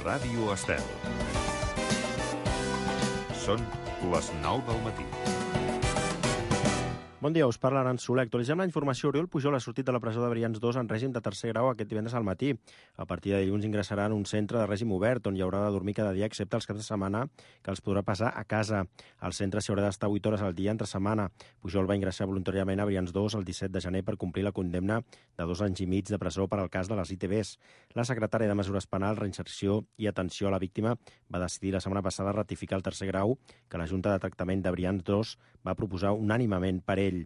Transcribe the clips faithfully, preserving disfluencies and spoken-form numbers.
Ràdio Estel. Són les nou del matí. Bon dia, us parla Aran Soler. Actualitzem la informació. Oriol Pujol ha sortit de la presó de Brians dos en règim de tercer grau aquest divendres al matí. A partir de dilluns ingressarà en un centre de règim obert on hi haurà de dormir cada dia, excepte els caps de setmana, que els podrà passar a casa. Al centre s'hi haurà d'estar vuit hores al dia entre setmana. Pujol va ingressar voluntàriament a Brians dos el disset de gener per complir la condemna de dos anys i mig de presó per al cas de les I T Bs. La secretària de Mesures Penals, Reinserció i Atenció a la Víctima va decidir la setmana passada ratificar el tercer grau que la Junta de Tractament de Brians dos va proposar unànimement per ell.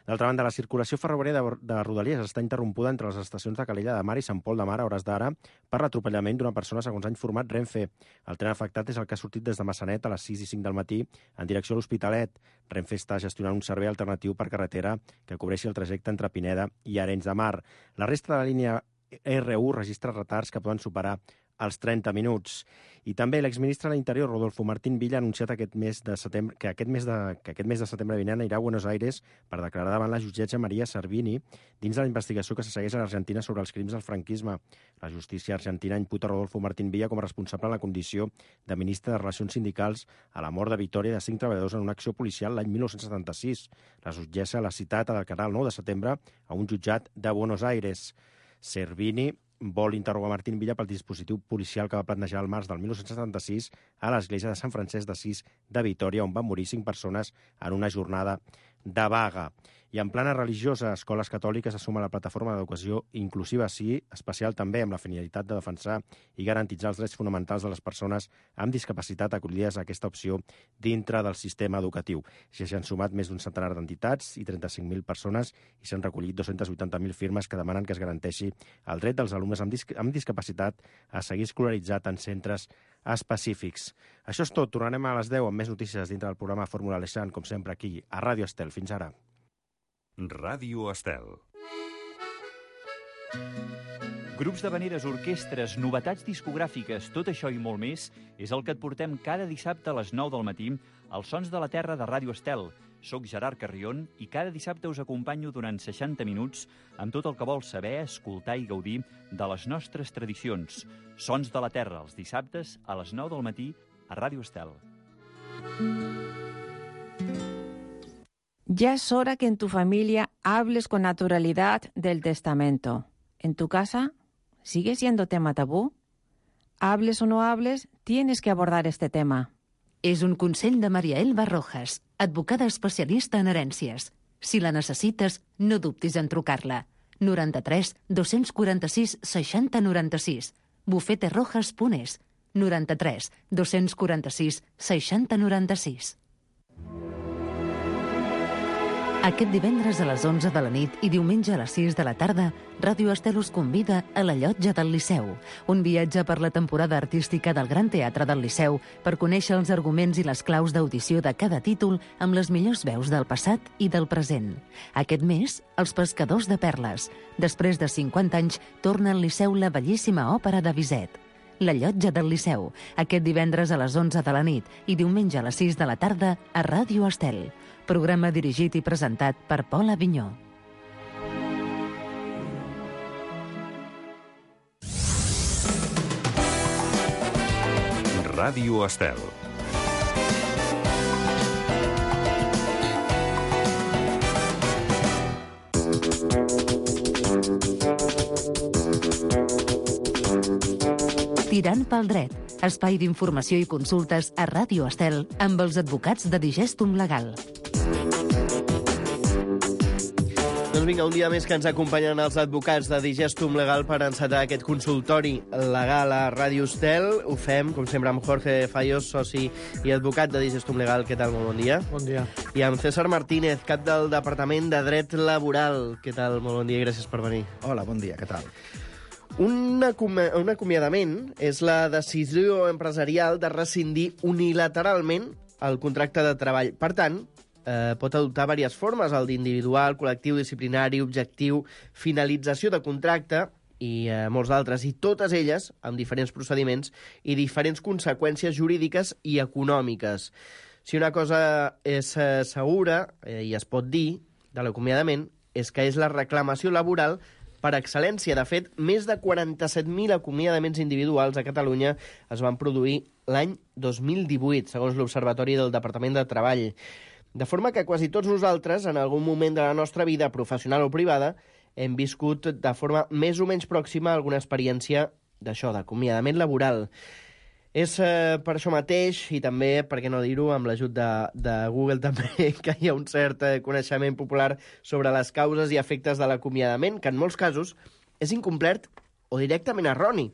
D'altra banda, la circulació ferroviària de, de Rodalies està interrompuda entre les estacions de Calella de Mar i Sant Pol de Mar a hores d'ara per l'atropellament d'una persona, segons ha informat Renfe. El tren afectat és el que ha sortit des de Massanet a les sis i cinc del matí en direcció a l'Hospitalet. Renfe està gestionant un servei alternatiu per carretera que cobreixi el trajecte entre Pineda i Arenys de Mar. La resta de la línia R u registra retards que poden superar als trenta minuts. I també l'exministre de l'Interior, Rodolfo Martín Villa, ha anunciat aquest mes de setembre, que, aquest mes de, que aquest mes de setembre vinent anirà a Buenos Aires per declarar davant la jutgessa Maria Servini dins de la investigació que se segueix a l'Argentina sobre els crims del franquisme. La justícia argentina imputa Rodolfo Martín Villa com a responsable en la condició de ministre de Relacions Sindicals a la mort de Vitòria de cinc treballadors en una acció policial l'any mil nou-cents setanta-sis. La jutgessa l'ha citat a declarar el nou de setembre a un jutjat de Buenos Aires. Servini vol interrogar Martín Villa pel dispositiu policial que va plantejar el març del mil nou-cents setanta-sis a l'església de Sant Francesc d'Assís de Vitòria, on van morir cinc persones en una jornada de vaga. I en plana religiosa, escoles catòliques se sumen a la plataforma d'educació inclusiva sí, especial també amb la finalitat de defensar i garantitzar els drets fonamentals de les persones amb discapacitat acollides a aquesta opció dintre del sistema educatiu. Ja s'han sumat més d'un centenar d'entitats i trenta-cinc mil persones i s'han recollit dos-centes vuitanta mil firmes que demanen que es garanteixi el dret dels alumnes amb, disc amb discapacitat a seguir escolaritzat en centres específics. Això és tot. Tornarem a les deu amb més notícies dintre del programa Fórmula Aleixant, com sempre aquí, a Ràdio Estel. Fins ara. Ràdio Estel. Grups d'havaneres, orquestres, novetats discogràfiques, tot això i molt més és el que et portem cada dissabte a les nou del matí als Sons de la Terra de Ràdio Estel. Soc Gerard Carrion i cada dissabte us acompanyo durant seixanta minuts amb tot el que vols saber, escoltar i gaudir de les nostres tradicions. Sons de la Terra, els dissabtes a les nou del matí a Ràdio Estel. Ya es hora que en tu familia hables con naturalidad del testamento. ¿En tu casa sigue siendo tema tabú? Hables o no hables, tienes que abordar este tema. És un consell de Maria Elba Rojas, advocada especialista en herències. Si la necessites, no dubtis en trucar-la. noranta-tres dos-cents quaranta-sis seixanta noranta-sis. bufeterojas punt es. noranta-tres dos-cents quaranta-sis seixanta noranta-sis. Aquest divendres a les onze de la nit i diumenge a les sis de la tarda, Ràdio Estel us convida a la Llotja del Liceu, un viatge per la temporada artística del Gran Teatre del Liceu per conèixer els arguments i les claus d'audició de cada títol amb les millors veus del passat i del present. Aquest mes, Els pescadors de perles. Després de cinquanta anys, torna al Liceu la bellíssima òpera de Bizet. La Llotja del Liceu, aquest divendres a les onze de la nit i diumenge a les sis de la tarda a Ràdio Estel. Programa dirigit i presentat per Pol Avinyó. Ràdio Estel. Tirant pel dret, espai d'informació i consultes a Ràdio Estel amb els advocats de Digestum Legal. Doncs vinga, un dia més que ens acompanyen els advocats de Digestum Legal per encetar aquest consultori legal a Ràdio Estel. Ho fem, com sempre, amb Jorge Fallos, soci i advocat de Digestum Legal. Què tal? Molt bon dia. Bon dia. I amb César Martínez, cap del Departament de Dret Laboral. Què tal? Molt bon dia i gràcies per venir. Hola, bon dia, què tal? Un, acom- un acomiadament és la decisió empresarial de rescindir unilateralment el contracte de treball. Per tant, eh, pot adoptar diverses formes, el d'individual, col·lectiu, disciplinari, objectiu, finalització de contracte i eh, molts d'altres, i totes elles amb diferents procediments i diferents conseqüències jurídiques i econòmiques. Si una cosa és eh, segura, eh, i es pot dir, de l'acomiadament, és que és la reclamació laboral per excel·lència. De fet, més de quaranta-set mil acomiadaments individuals a Catalunya es van produir l'any dos mil divuit, segons l'Observatori del Departament de Treball. De forma que quasi tots nosaltres, en algun moment de la nostra vida, professional o privada, hem viscut de forma més o menys pròxima alguna experiència d'això, d'acomiadament laboral. És eh, per això mateix, i també, per què no dir-ho, amb l'ajut de, de Google també, que hi ha un cert eh, coneixement popular sobre les causes i efectes de l'acomiadament, que en molts casos és incomplet o directament erroni.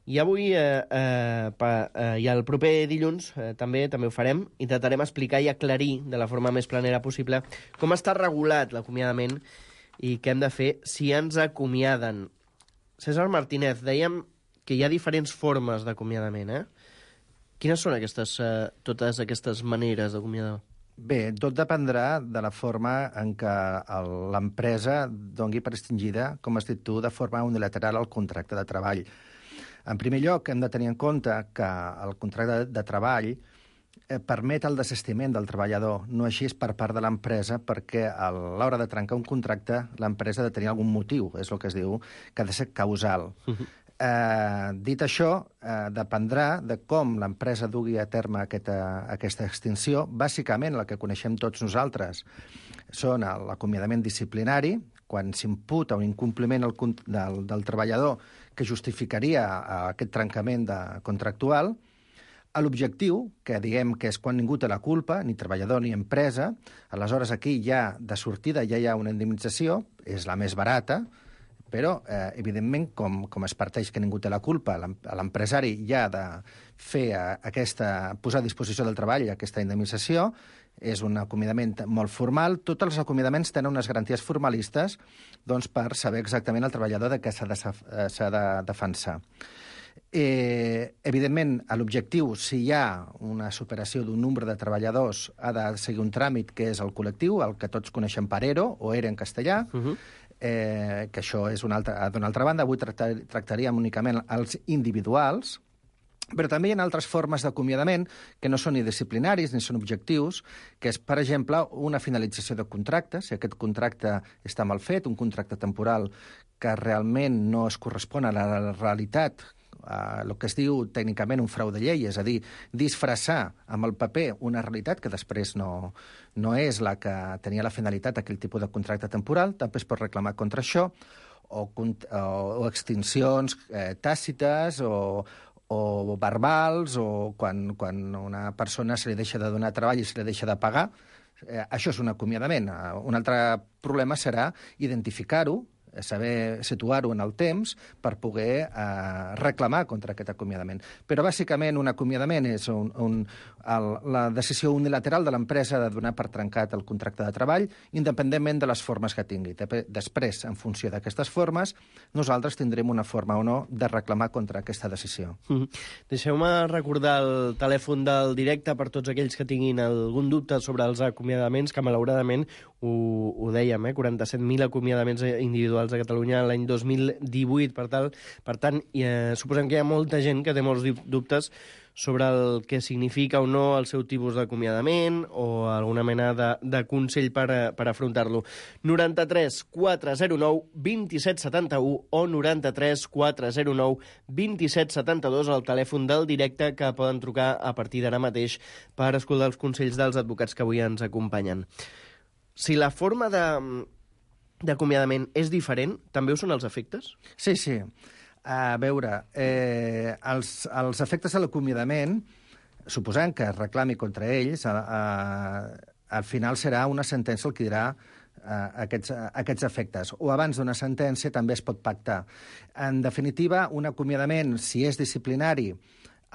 I avui, eh, eh, pa, eh, i el proper dilluns, eh, també també ho farem, intentarem explicar i aclarir de la forma més planera possible com està regulat l'acomiadament i què hem de fer si ens acomiaden. César Martínez, dèiem que hi ha diferents formes d'acomiadament, eh? Quines són aquestes, eh, totes aquestes maneres d'acomiadar? Bé, tot dependrà de la forma en què el, l'empresa doni per extingida, com has dit tu, de forma unilateral el contracte de treball. En primer lloc, hem de tenir en compte que el contracte de, de treball eh, permet el desistiment del treballador, no així és per part de l'empresa, perquè a l'hora de trencar un contracte l'empresa ha de tenir algun motiu, és el que es diu, que ha de ser causal. Uh-huh. Eh, dit això, eh, dependrà de com l'empresa dugui a terme aquesta, aquesta extinció. Bàsicament, la que coneixem tots nosaltres són l'acomiadament disciplinari, quan s'imputa un incompliment al, del, del treballador que justificaria aquest trencament de, contractual. A l'objectiu, que diguem que és quan ningú té la culpa, ni treballador ni empresa, aleshores aquí ja de sortida ja hi ha una indemnització, és la més barata, però, eh, evidentment, com, com es parteix que ningú té la culpa, l'empresari ja ha de fer aquesta, posar a disposició del treball aquesta indemnització, és un acomiadament molt formal. Tots els acomiadaments tenen unes garanties formalistes doncs, per saber exactament el treballador de què s'ha de, s'ha de defensar. Eh, evidentment, l'objectiu, si hi ha una superació d'un nombre de treballadors, ha de seguir un tràmit que és el col·lectiu, el que tots coneixem per E R O, o E R E en castellà, uh-huh. eh, que això és una altra, d'una altra banda. Avui tractar, tractaríem únicament els individuals, però també hi ha altres formes d'acomiadament que no són ni disciplinaris ni són objectius, que és, per exemple, una finalització de contracte. Si aquest contracte està mal fet, un contracte temporal que realment no es correspon a la realitat, Uh, el que es diu tècnicament un frau de llei, és a dir, disfressar amb el paper una realitat que després no, no és la que tenia la finalitat aquell tipus de contracte temporal, també es pot reclamar contra això, o, o, o extincions eh, tàcites o, o verbals, o quan, quan una persona se li deixa de donar treball i se li deixa de pagar. Eh, això és un acomiadament. Uh, un altre problema serà identificar-ho, saber situar-ho en el temps per poder eh, reclamar contra aquest acomiadament. Però, bàsicament, un acomiadament és un, un, el, la decisió unilateral de l'empresa de donar per trencat el contracte de treball, independentment de les formes que tingui. Després, en funció d'aquestes formes, nosaltres tindrem una forma o no de reclamar contra aquesta decisió. Mm-hmm. Deixeu-me recordar el telèfon del directe per tots aquells que tinguin algun dubte sobre els acomiadaments, que malauradament ho, ho dèiem, eh? quaranta-set mil acomiadaments individuals a Catalunya l'any dos mil divuit. Per, tal, per tant, eh, suposem que hi ha molta gent que té molts dubtes sobre el que significa o no el seu tipus d'acomiadament o alguna mena de, de consell per, per afrontar-lo. noranta-tres quatre zero nou vint-i-set setanta-u o noranta-tres quatre zero nou vint-i-set setanta-dos, el telèfon del directe que poden trucar a partir d'ara mateix per escoltar els consells dels advocats que avui ens acompanyen. Si la forma de... d'acomiadament és diferent, també ho són els efectes? Sí, sí. A veure, eh, els, els efectes de l'acomiadament, suposant que es reclami contra ells, a, a, al final serà una sentència el que dirà a, aquests, a, aquests efectes. O abans d'una sentència també es pot pactar. En definitiva, un acomiadament, si és disciplinari,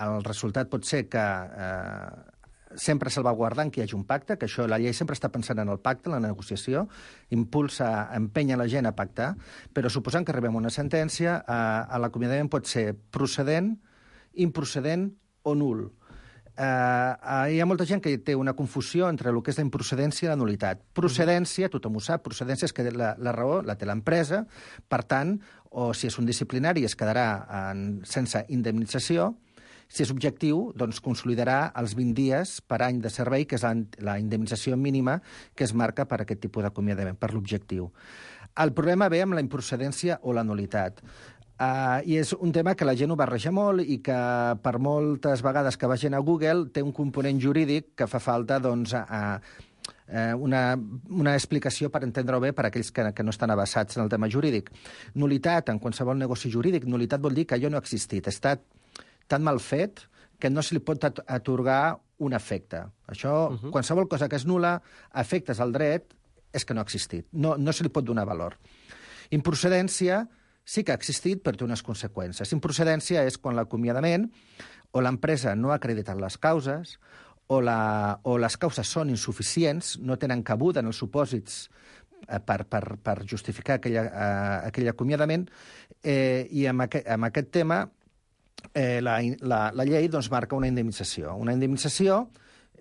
el resultat pot ser que... Eh, sempre salvaguardant que hi hagi un pacte, que això la llei sempre està pensant en el pacte, en la negociació, impulsa, empenya la gent a pactar, però suposant que arribem a una sentència, eh, l'acomiadament pot ser procedent, improcedent o nul. Eh, eh, hi ha molta gent que té una confusió entre el que és la improcedència i la nulitat. Procedència, tothom ho sap, procedència és que la, la raó la té l'empresa, per tant, o si és un disciplinari es quedarà en, sense indemnització. Si és objectiu, doncs consolidarà els vint dies per any de servei, que és la, la indemnització mínima que es marca per aquest tipus d'acomiadament, per l'objectiu. El problema ve amb la improcedència o la nulitat. Uh, I és un tema que la gent ho barreja molt i que per moltes vegades que va gent a Google té un component jurídic que fa falta doncs, a, a una, una explicació per entendre-ho bé per a aquells que, que no estan avançats en el tema jurídic. Nulitat, en qualsevol negoci jurídic, nulitat vol dir que allò no ha existit. Està tan mal fet que no se li pot atorgar un efecte. Això, uh -huh. qualsevol cosa que és nul·la, efectes al dret, és que no ha existit. No, no se li pot donar valor. Improcedència sí que ha existit, però té unes conseqüències. Improcedència és quan l'acomiadament o l'empresa no ha acreditat les causes o, la, o les causes són insuficients, no tenen cabuda en els supòsits eh, per, per, per justificar aquella, eh, aquell acomiadament, eh, i amb, aqu amb aquest tema eh, la, la, la llei doncs, marca una indemnització. Una indemnització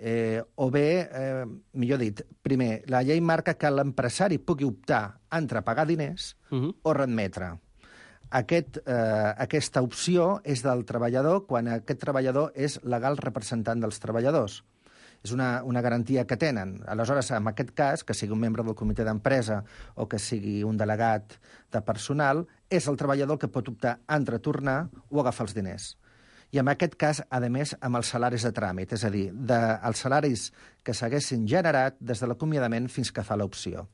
Eh, o bé, eh, millor dit, primer, la llei marca que l'empresari pugui optar entre pagar diners uh -huh. o readmetre. Aquest, eh, aquesta opció és del treballador quan aquest treballador és legal representant dels treballadors. És una, una garantia que tenen. Aleshores, en aquest cas, que sigui un membre del comitè d'empresa o que sigui un delegat de personal, és el treballador que pot optar entre tornar o agafar els diners. I en aquest cas, a més, amb els salaris de tràmit, és a dir, de, els salaris que s'haguessin generat des de l'acomiadament fins que fa l'opció.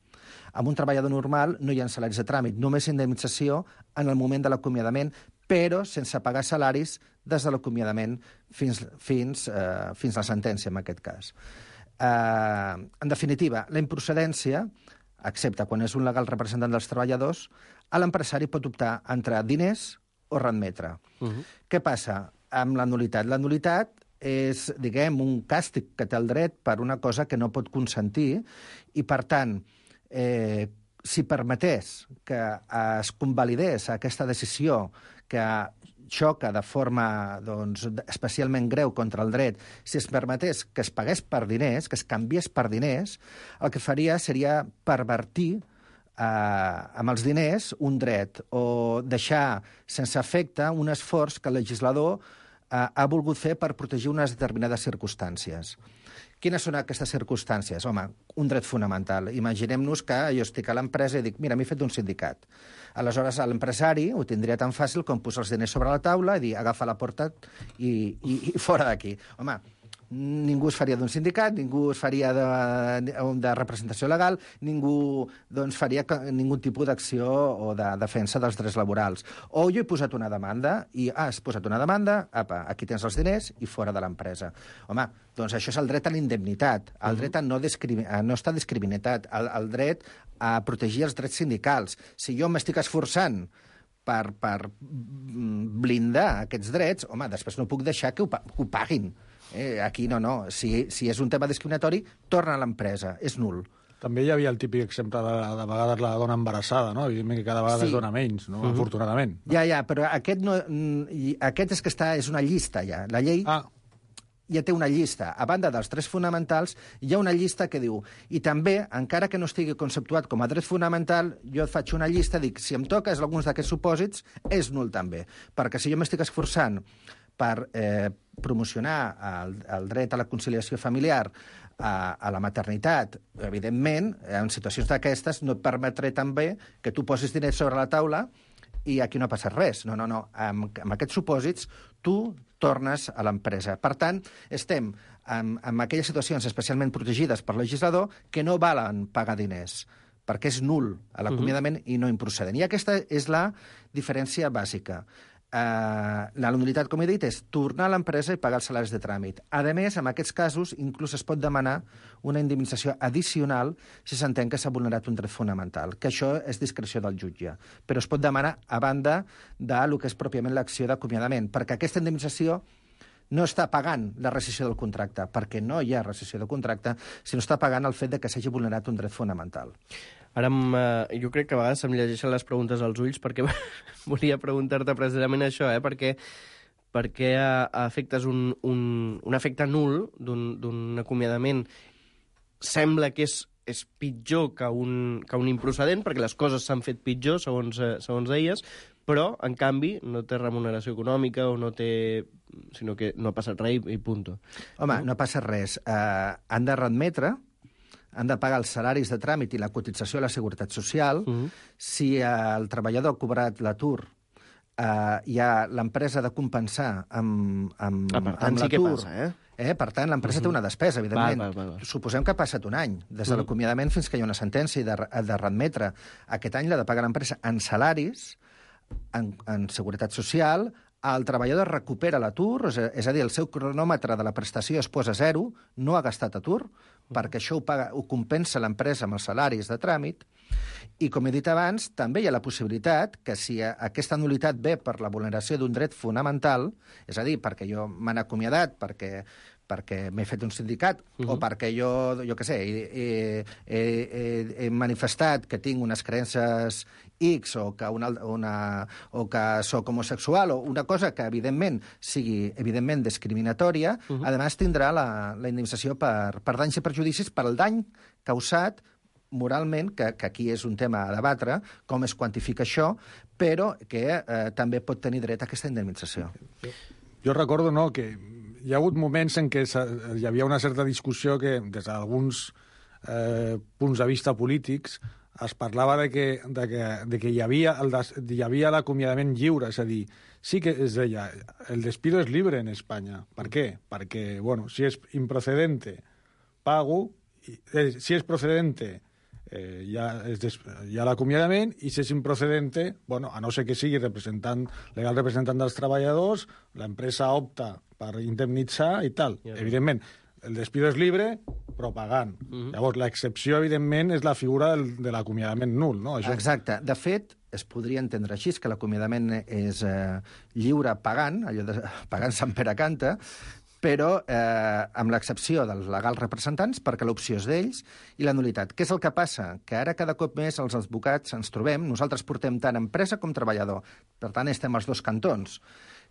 Amb un treballador normal no hi ha salaris de tràmit, només indemnització en el moment de l'acomiadament, però sense pagar salaris des de l'acomiadament fins, fins, eh, fins la sentència, en aquest cas. Eh, en definitiva, la improcedència, excepte quan és un legal representant dels treballadors, a l'empresari pot optar entre diners o readmetre. Uh -huh. Què passa amb la nulitat? La nulitat és, diguem, un càstig que té el dret per una cosa que no pot consentir i, per tant, eh, si permetés que es convalidés aquesta decisió que xoca de forma doncs, especialment greu contra el dret, si es permetés que es pagués per diners, que es canviés per diners, el que faria seria pervertir eh, amb els diners un dret o deixar sense efecte un esforç que el legislador eh, ha volgut fer per protegir unes determinades circumstàncies. Quines són aquestes circumstàncies? Home, un dret fonamental. Imaginem-nos que jo estic a l'empresa i dic, mira, m'he fet un sindicat. Aleshores, l'empresari ho tindria tan fàcil com posar els diners sobre la taula i dir, agafa la porta i, i, i fora d'aquí. Home, ningú es faria d'un sindicat, ningú es faria de, de representació legal, ningú doncs, faria ningú tipus d'acció o de defensa dels drets laborals. O jo he posat una demanda i ah, has posat una demanda, apa, aquí tens els diners i fora de l'empresa. Home, doncs això és el dret a la indemnitat, el dret a no, a no estar discriminat, el, el dret a protegir els drets sindicals. Si jo m'estic esforçant per, per blindar aquests drets, home, després no puc deixar que ho, que ho paguin. Eh, aquí no, no. Si, si és un tema discriminatori, torna a l'empresa. És nul. També hi havia el típic exemple de, de vegades la dona embarassada, no? Evidentment que cada vegada sí. es dona menys, no? Uh -huh. Afortunadament. No? Ja, ja, però aquest, no, aquest és que està, és una llista, ja. La llei ah. ja té una llista. A banda dels drets fonamentals, hi ha una llista que diu... I també, encara que no estigui conceptuat com a dret fonamental, jo et faig una llista, dic, si em toques alguns d'aquests supòsits, és nul també. Perquè si jo m'estic esforçant per eh, promocionar el, el dret a la conciliació familiar, a, a la maternitat, evidentment, en situacions d'aquestes no et permetré també que tu posis diners sobre la taula i aquí no ha passat res. No, no, no. Amb, amb aquests supòsits tu tornes a l'empresa. Per tant, estem en, en aquelles situacions especialment protegides per legislador que no valen pagar diners, perquè és nul a l'acomiadament uh -huh. i no improcedent. I aquesta és la diferència bàsica. Uh, la nulitat, com he dit, és tornar a l'empresa i pagar els salaris de tràmit. A més, en aquests casos, inclús es pot demanar una indemnització addicional si s'entén que s'ha vulnerat un dret fonamental, que això és discreció del jutge. Però es pot demanar a banda del que és pròpiament l'acció d'acomiadament, perquè aquesta indemnització no està pagant la rescissió del contracte, perquè no hi ha rescissió del contracte, sinó està pagant el fet de que s'hagi vulnerat un dret fonamental. Ara, eh, jo crec que a vegades em llegeixen les preguntes als ulls perquè volia preguntar-te precisament això, eh? perquè, perquè a, a efectes un, un, un efecte nul d'un acomiadament sembla que és, és pitjor que un, que un improcedent, perquè les coses s'han fet pitjor, segons, eh, segons elles, però, en canvi, no té remuneració econòmica o no té... sinó que no ha passat res i, i punto. Home, no, no passa res. Uh, han de readmetre han de pagar els salaris de tràmit i la cotització a la Seguretat Social. Uh-huh. Si el treballador ha cobrat l'atur, eh, ja l'empresa ha de compensar amb, amb, ah, per tant, amb l'atur. Sí que passa, eh? Eh? Per tant, l'empresa uh-huh. té una despesa, evidentment. Val, val, val. Suposem que ha passat un any, des de uh-huh. l'acomiadament fins que hi ha una sentència i de, de readmetre. Aquest any l'ha de pagar l'empresa en salaris, en, en seguretat social, el treballador recupera l'atur, és a dir, el seu cronòmetre de la prestació es posa a zero, no ha gastat atur, uh-huh. perquè això ho, paga, ho compensa l'empresa amb els salaris de tràmit, i, com he dit abans, també hi ha la possibilitat que si aquesta nulitat ve per la vulneració d'un dret fonamental, és a dir, perquè jo m'han acomiadat, perquè, perquè m'he fet un sindicat, uh-huh. o perquè jo, jo què sé, he, he, he, he manifestat que tinc unes creences X o que, una, una, o que soc homosexual, o una cosa que, evidentment, sigui evidentment discriminatòria, uh-huh. a més tindrà la, la indemnització per, per danys i perjudicis per al dany causat moralment, que, que aquí és un tema a debatre, com es quantifica això, però que eh, també pot tenir dret a aquesta indemnització. Jo recordo, no, que hi ha hagut moments en què hi havia una certa discussió que, des d'alguns eh, punts de vista polítics, es parlava de que, de que, de que hi havia el des, hi havia l'acomiadament lliure, és a dir, sí que es deia, el despido es libre en Espanya. Per què? Perquè, bueno, si és improcedente, pago, i, eh, si és procedente, Eh, hi ha, ha l'acomiadament, i si és improcedente, bueno, a no ser que sigui representant, legal representant dels treballadors, l'empresa opta per indemnitzar i tal. Ja, evidentment, el despido és libre, però pagant. Uh-huh. Llavors, l'excepció, evidentment, és la figura del, de l'acomiadament nul, no? Això... Exacte. De fet, es podria entendre així, que l'acomiadament és eh, lliure pagant, allò de pagant Sant Pere canta, però eh, amb l'excepció dels legals representants, perquè l'opció és d'ells, i la nulitat. Què és el que passa? Que ara cada cop més els advocats ens trobem, nosaltres portem tant empresa com treballador, per tant estem als dos cantons.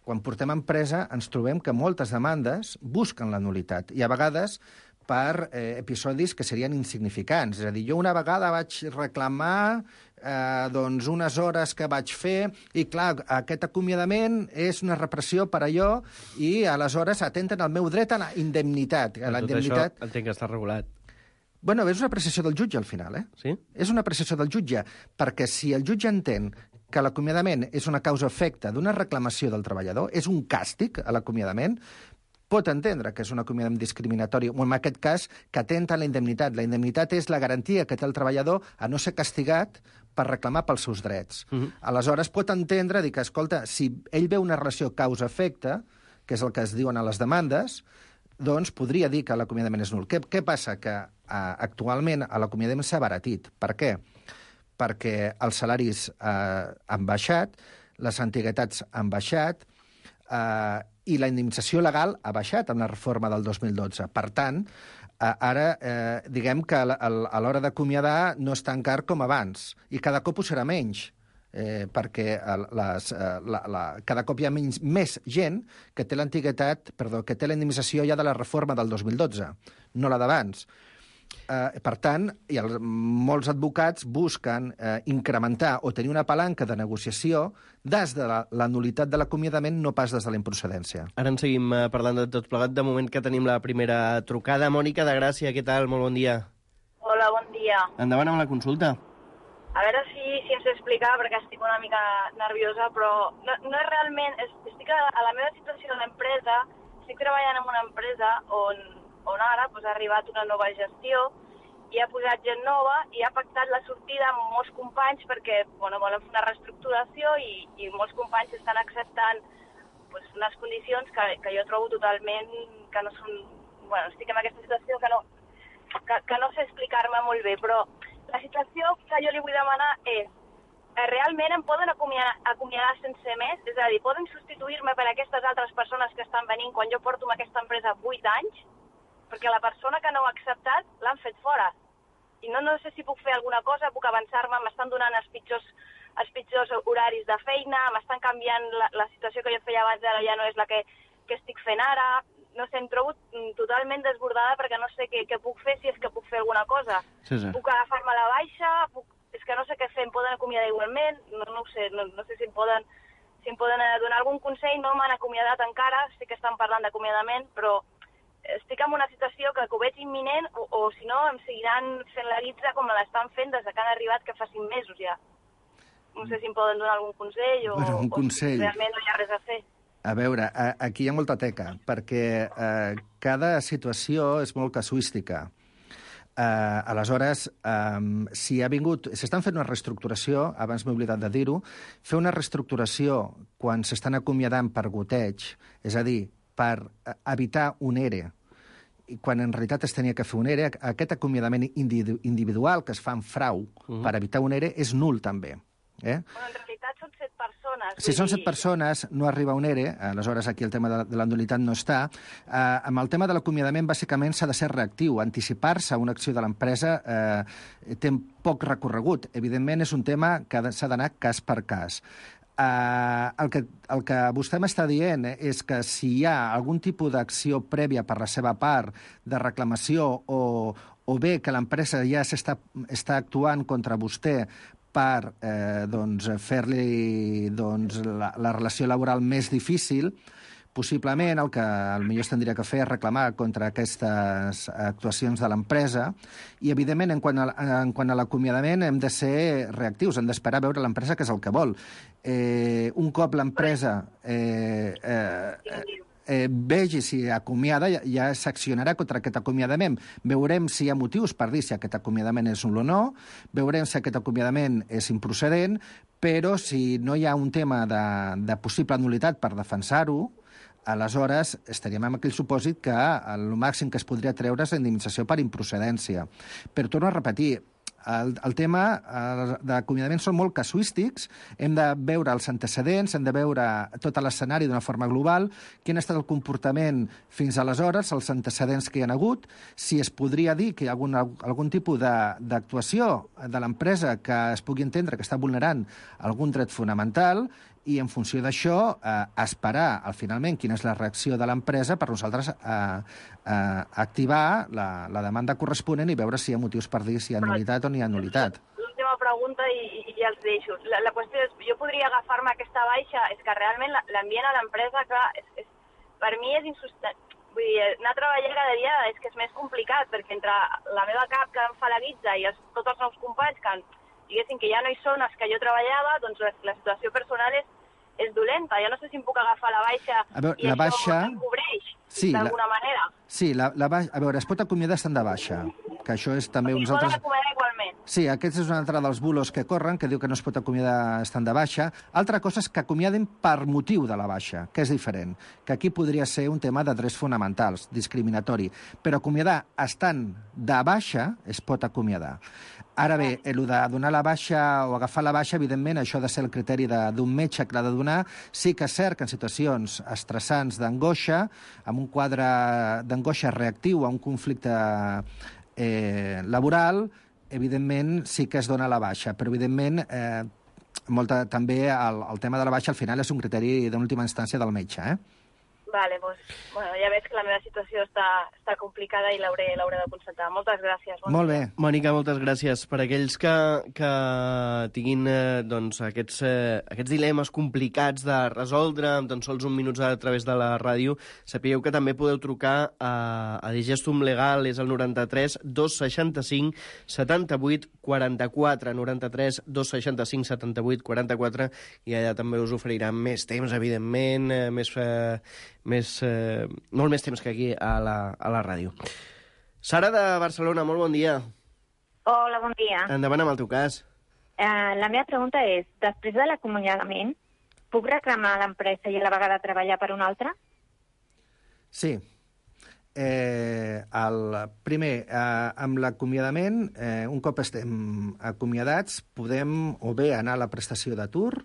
Quan portem empresa ens trobem que moltes demandes busquen la nulitat, i a vegades per eh, episodis que serien insignificants. És a dir, jo una vegada vaig reclamar eh, doncs unes hores que vaig fer i, clar, aquest acomiadament és una repressió per allò i, aleshores, atenten el meu dret a la indemnitat. A la tot indemnitat... això entenc que està regulat. Bueno, és una apreciació del jutge, al final, eh? Sí? És una apreciació del jutge, perquè si el jutge entén que l'acomiadament és una causa-efecte d'una reclamació del treballador, és un càstig a l'acomiadament, pot entendre que és un acomiadament discriminatori, o en aquest cas, que atenta a la indemnitat. La indemnitat és la garantia que té el treballador a no ser castigat per reclamar pels seus drets. Uh-huh. Aleshores, pot entendre, dir que, escolta, si ell veu una relació causa-efecte, que és el que es diuen a les demandes, doncs podria dir que l'acomiadament és nul. Què, què passa? Que uh, actualment l'acomiadament s'ha abaratit. Per què? Perquè els salaris uh, han baixat, les antiguitats han baixat, uh, i la indemnització legal ha baixat amb la reforma del dos mil dotze. Per tant, eh, ara eh, diguem que a l'hora d'acomiadar no és tan car com abans, i cada cop ho serà menys, eh, perquè les, eh, la, la, cada cop hi ha menys, més gent que té l'antiguitat, perdó, que té la indemnització ja de la reforma del dos mil dotze, no la d'abans. Eh, per tant, i el, molts advocats busquen eh, incrementar o tenir una palanca de negociació des de la, la nulitat de l'acomiadament, no pas des de la improcedència. Ara en seguim eh, parlant de tot plegat. De moment que tenim la primera trucada. Mònica de Gràcia, què tal? Molt bon dia. Hola, bon dia. Endavant amb la consulta. A veure si, si em sé explicar, perquè estic una mica nerviosa, però no, no és realment... És, estic a, a la meva situació de l'empresa, estic treballant en una empresa on... on ara pues, ha arribat una nova gestió i ha posat gent nova i ha pactat la sortida amb molts companys perquè bueno, volen fer una reestructuració i, i molts companys estan acceptant pues, unes condicions que, que jo trobo totalment que no són... Bueno, estic en aquesta situació que no, que, que no sé explicar-me molt bé, però la situació que jo li vull demanar és eh, realment em poden acomiadar, acomiadar sense més? És a dir, poden substituir-me per aquestes altres persones que estan venint quan jo porto amb aquesta empresa vuit anys? Perquè la persona que no ha acceptat l'han fet fora. I no, no sé si puc fer alguna cosa, puc avançar-me, m'estan donant els pitjors, els pitjors horaris de feina, m'estan canviant la, la situació que jo feia abans, ara ja no és la que, que estic fent ara. No sé, em trobo totalment desbordada perquè no sé què, què puc fer, si és que puc fer alguna cosa. Sí, sí. Puc agafar-me la baixa, puc... és que no sé què fer, em poden acomiadar igualment, no, no ho sé, no, no sé si em poden, si em poden donar algun consell, no m'han acomiadat encara, sé que estan parlant d'acomiadament, però estic en una situació que, que ho veig imminent o, o si no, em seguiran fent la guitza com me l'estan fent des que han arribat, que fa cinc mesos ja. No sé si em poden donar algun consell o, bueno, un consell. o si realment no hi ha res a fer. A veure, aquí hi ha molta teca, perquè eh, cada situació és molt casuística. Uh, aleshores, um, si ha vingut... S'estan fent una reestructuració, abans m'he oblidat de dir-ho, fer una reestructuració quan s'estan acomiadant per goteig, és a dir, per evitar un E R E, i quan en realitat es tenia que fer un E R E, aquest acomiadament individual que es fa en frau uh-huh. per evitar un E R E és nul també. Eh? Bueno, en realitat són set persones. Si són set persones, no arriba un E R E, aleshores aquí el tema de, de la nulitat no està. Eh, amb el tema de l'acomiadament, bàsicament, s'ha de ser reactiu. Anticipar-se a una acció de l'empresa eh, té poc recorregut. Evidentment, és un tema que s'ha d'anar cas per cas. Uh, el, que, el que vostè m'està dient és que si hi ha algun tipus d'acció prèvia per la seva part, de reclamació, o, o bé que l'empresa ja s'està està actuant contra vostè per eh, doncs, fer-li doncs, la, la relació laboral més difícil, possiblement el que potser es tindria que fer és reclamar contra aquestes actuacions de l'empresa i, evidentment, en quant a, en quant a l'acomiadament hem de ser reactius, hem d'esperar a veure l'empresa què és el que vol. Eh, un cop l'empresa eh, eh, eh, vegi si acomiada, ja, ja s'accionarà contra aquest acomiadament. Veurem si hi ha motius per dir si aquest acomiadament és nul o no, veurem si aquest acomiadament és improcedent, però si no hi ha un tema de, de possible nulitat per defensar-ho, aleshores estaríem en aquell supòsit que el màxim que es podria treure és la indemnització per improcedència. Però torno a repetir, el, el tema d'acomiadament són molt casuístics, hem de veure els antecedents, hem de veure tot l'escenari d'una forma global, quin ha estat el comportament fins aleshores, els antecedents que hi ha hagut, si es podria dir que hi ha algun, algun tipus d'actuació de, de l'empresa que es pugui entendre que està vulnerant algun dret fonamental, i en funció d'això eh, esperar al finalment quina és la reacció de l'empresa per nosaltres eh, eh, activar la, la demanda corresponent i veure si hi ha motius per dir si hi ha nul·litat o no hi ha nul·litat. L'última pregunta i, i ja els deixo. La, la qüestió és, jo podria agafar-me aquesta baixa, és que realment l'ambient a l'empresa, clar, és, és, per mi és insostenible. Vull dir, anar a treballar cada dia és que és més complicat, perquè entre la meva cap que em fa la guitza i els, tots els meus companys que diguessin que ja no hi són els que jo treballava, doncs la, la situació personal és és dolenta. Jo no sé si em puc agafar la baixa a veure, i la això baixa... em cobreix sí, d'alguna la... manera. Sí, la, la baixa... a veure, es pot acomiadar estant de baixa, que això és també uns altres... I poden acomiadar igualment. Sí, aquest és un altre dels bulos que corren, que diu que no es pot acomiadar estant de baixa. Altra cosa és que acomiaden per motiu de la baixa, que és diferent, que aquí podria ser un tema de drets fonamentals, discriminatori, però acomiadar estant de baixa es pot acomiadar. Ara bé, el de donar la baixa o agafar la baixa, evidentment, això ha de ser el criteri d'un metge que l'ha de donar. Sí que és cert que en situacions estressants d'angoixa, amb un quadre d'angoixa reactiu a un conflicte eh, laboral, evidentment sí que es dona la baixa, però evidentment eh, molta, també el, el tema de la baixa al final és un criteri d'última instància del metge, eh? Vale, doncs, bueno, ja veig que la meva situació està, està complicada i l'hauré de constatar. Moltes gràcies. Bon Molt bé. Mònica, moltes gràcies. Per aquells que, que tinguin eh, doncs, aquests, eh, aquests dilemes complicats de resoldre amb tan sols un minut a través de la ràdio, sapigueu que també podeu trucar a, a Digestum Legal, és el noranta-tres dos seixanta-cinc setanta-vuit quaranta-quatre, noranta-tres dos seixanta-cinc setanta-vuit quaranta-quatre, i allà també us oferiran més temps, evidentment, eh, més... Eh, Més, eh, molt més temps que aquí a la, a la ràdio. Sara de Barcelona, molt bon dia. Hola, bon dia. Endavant amb el teu cas. Uh, la meva pregunta és, després de l'acomiadament, puc reclamar a l'empresa i a la vegada treballar per una altra? Sí. Eh, el, primer, eh, amb l'acomiadament, eh, un cop estem acomiadats, podem o bé anar a la prestació d'atur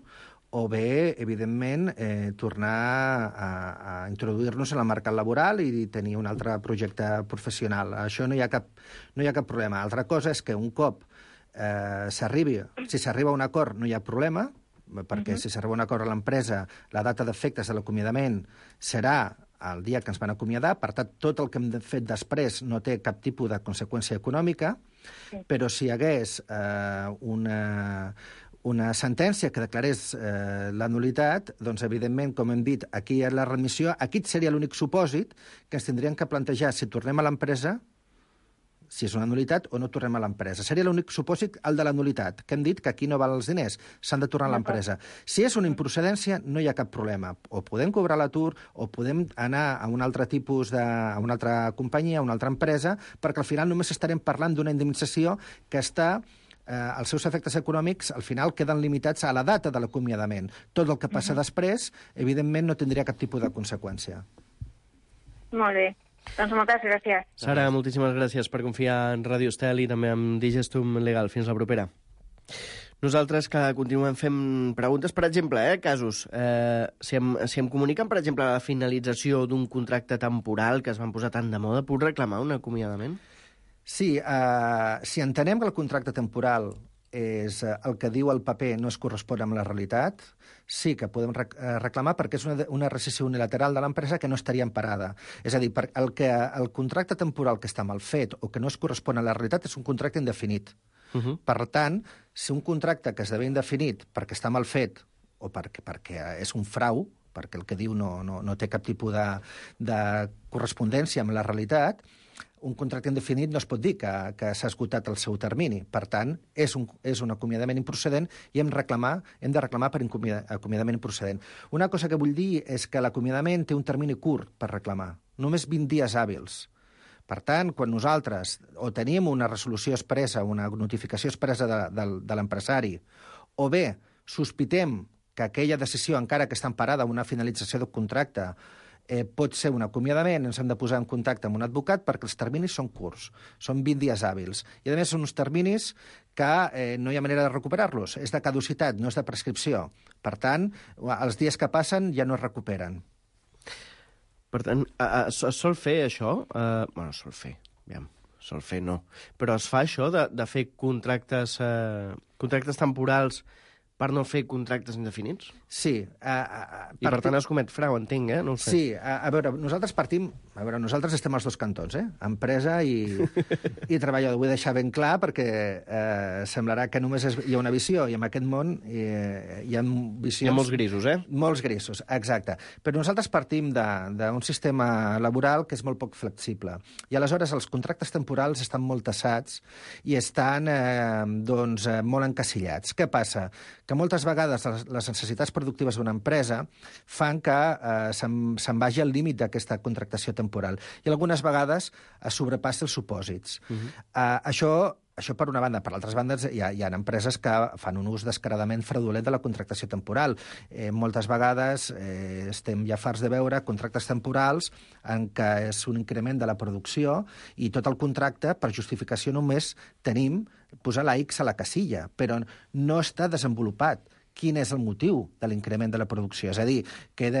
o bé, evidentment, eh, tornar a, a introduir-nos en el mercat laboral i tenir un altre projecte professional. Això no hi ha cap, no hi ha cap problema. Altra cosa és que un cop eh, s'arribi, si s'arriba a un acord no hi ha problema, perquè uh-huh. si s'arriba a un acord a l'empresa, la data d'efectes de l'acomiadament serà el dia que ens van acomiadar, per tant, tot el que hem fet després no té cap tipus de conseqüència econòmica, sí. Però si hi hagués eh, una... una sentència que declarés eh, la nulitat, doncs, evidentment, com hem dit, aquí hi ha la remissió. Aquí seria l'únic supòsit que ens tindrien que plantejar si tornem a l'empresa, si és una nulitat o no tornem a l'empresa. Seria l'únic supòsit, el de la nulitat, que hem dit que aquí no val els diners, s'han de tornar a l'empresa. Si és una improcedència, no hi ha cap problema. O podem cobrar l'atur, o podem anar a un altre tipus de... a una altra companyia, a una altra empresa, perquè al final només estarem parlant d'una indemnització que està... Eh, els seus efectes econòmics, al final, queden limitats a la data de l'acomiadament. Tot el que passa uh-huh. després, evidentment, no tindria cap tipus de conseqüència. Molt bé. Doncs moltes gràcies. Sara, moltíssimes gràcies per confiar en Ràdio Estel i també en Digestum Legal. Fins la propera. Nosaltres que continuem fent preguntes, per exemple, eh, casos. Eh, si, em, si em comuniquen, per exemple, la finalització d'un contracte temporal que es van posar tan de moda, puc reclamar un acomiadament? Sí, eh, si entenem que el contracte temporal és eh, el que diu el paper no es correspon amb la realitat, sí que podem rec reclamar perquè és una, una rescissió unilateral de l'empresa que no estaria emparada. És a dir, per el, que, el contracte temporal que està mal fet o que no es correspon a la realitat és un contracte indefinit. Uh-huh. Per tant, si un contracte que esdevé indefinit perquè està mal fet o perquè, perquè és un frau, perquè el que diu no, no, no té cap tipus de, de correspondència amb la realitat, un contracte indefinit no es pot dir que, que s'ha esgotat el seu termini. Per tant, és un, és un acomiadament improcedent i hem, reclamar, hem de reclamar per acomiadament improcedent. Una cosa que vull dir és que l'acomiadament té un termini curt per reclamar, només vint dies hàbils. Per tant, quan nosaltres o tenim una resolució expressa, una notificació expressa de, de, de l'empresari, o bé sospitem que aquella decisió, encara que està emparada a una finalització del contracte, eh, pot ser un acomiadament, ens hem de posar en contacte amb un advocat perquè els terminis són curts, són vint dies hàbils. I, a més, són uns terminis que eh, no hi ha manera de recuperar-los. És de caducitat, no és de prescripció. Per tant, els dies que passen ja no es recuperen. Per tant, es sol fer això? Uh, bueno, sol fer, aviam, sol fer no. Però es fa això de, de fer contractes, uh, contractes temporals per no fer contractes indefinits? Sí. Uh, uh, I per tant es comet frau, entenc, eh? No ho sé. Sí, a, a veure, nosaltres partim... A veure, nosaltres estem als dos cantons, eh? Empresa i, i treballador. Vull deixar ben clar perquè eh, semblarà que només és, hi ha una visió i en aquest món eh, hi ha visions... Hi ha molts grisos, eh? Molts grisos, exacte. Però nosaltres partim d'un sistema laboral que és molt poc flexible. I aleshores els contractes temporals estan molt tassats i estan eh, doncs, eh, molt encasillats. Què passa? Que moltes vegades les, les necessitats productives d'una empresa fan que eh, se'n se vagi al límit d'aquesta contractació temporal i algunes vegades es sobrepassa els supòsits. Uh-huh. uh, això, això per una banda. Per altres bandes hi ha, hi ha empreses que fan un ús descaradament fraudulent de la contractació temporal. Eh, moltes vegades eh, estem ja farts de veure contractes temporals en què és un increment de la producció i tot el contracte, per justificació només tenim posar la X a la casilla, però no està desenvolupat quin és el motiu de l'increment de la producció. És a dir, que he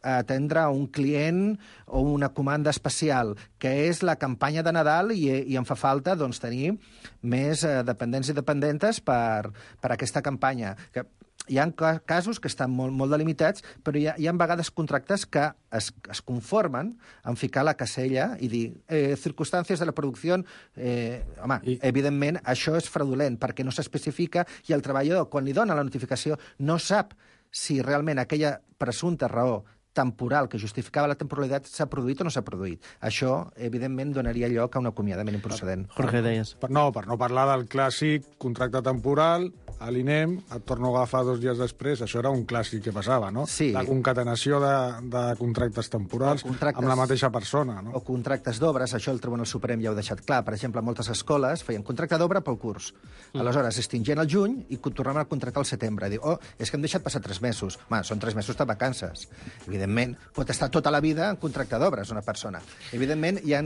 d'atendre un client o una comanda especial, que és la campanya de Nadal i, i em fa falta doncs, tenir més eh, dependents i dependentes per, per aquesta campanya. Que hi ha casos que estan molt, molt delimitats, però hi ha, hi ha vegades contractes que es, es conformen en ficar la casella i dir eh, circumstàncies de la producció... Eh, home, I... evidentment, això és fraudulent perquè no s'especifica i el treballador, quan li dona la notificació, no sap si realment aquella presumpta raó temporal que justificava la temporalitat s'ha produït o no s'ha produït. Això, evidentment, donaria lloc a un acomiadament improcedent. Jorge, deies. Per, no, per no parlar del clàssic contracte temporal, a l'I N E M, et torno a agafar dos dies després, això era un clàssic que passava, no? Sí. La concatenació de, de contractes temporals contractes, amb la mateixa persona, no? O contractes d'obres, això el Tribunal Suprem ja ho ha deixat clar. Per exemple, moltes escoles feien contracte d'obra pel curs. Mm. Aleshores, extingien el juny i tornaven a contractar al setembre. Diu, oh, és que hem deixat passar tres mesos. Home, són tres mesos de vacances. Evidentment, pot estar tota la vida en contracte d'obres una persona. Evidentment, hi ha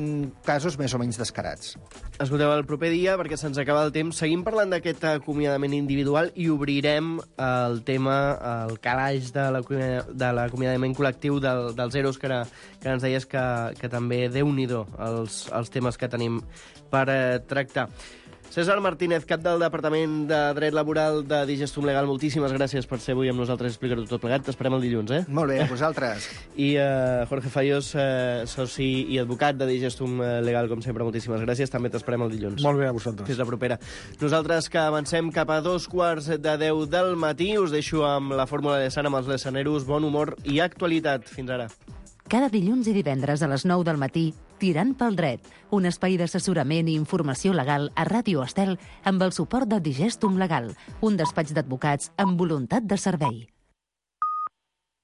casos més o menys descarats. Escolteu, el proper dia, perquè se'ns acaba el temps, seguim parlant d'aquest acomiadament individual i obrirem el tema, el calaix de l'acomiadament col·lectiu del, dels E R Os, que, era, que ens deies que, que també, Déu-n'hi-do, els, els temes que tenim per eh, tractar. César Martínez, cap del Departament de Dret Laboral de Digestum Legal, moltíssimes gràcies per ser avui amb nosaltres i explicar-ho tot plegat. T'esperem el dilluns, eh? Molt bé, a vosaltres. I uh, Jorge Fayós, uh, soci i advocat de Digestum Legal, com sempre, moltíssimes gràcies. També t'esperem el dilluns. Molt bé, a vosaltres. Fins la propera. Nosaltres que avancem cap a dos quarts de deu del matí, us deixo amb la fórmula de Sant amb els lesaneros, bon humor i actualitat. Fins ara. Cada dilluns i divendres a les nou del matí, Tirant pel dret, un espai d'assessorament i informació legal a Ràdio Estel amb el suport de Digestum Legal, un despatx d'advocats amb voluntat de servei.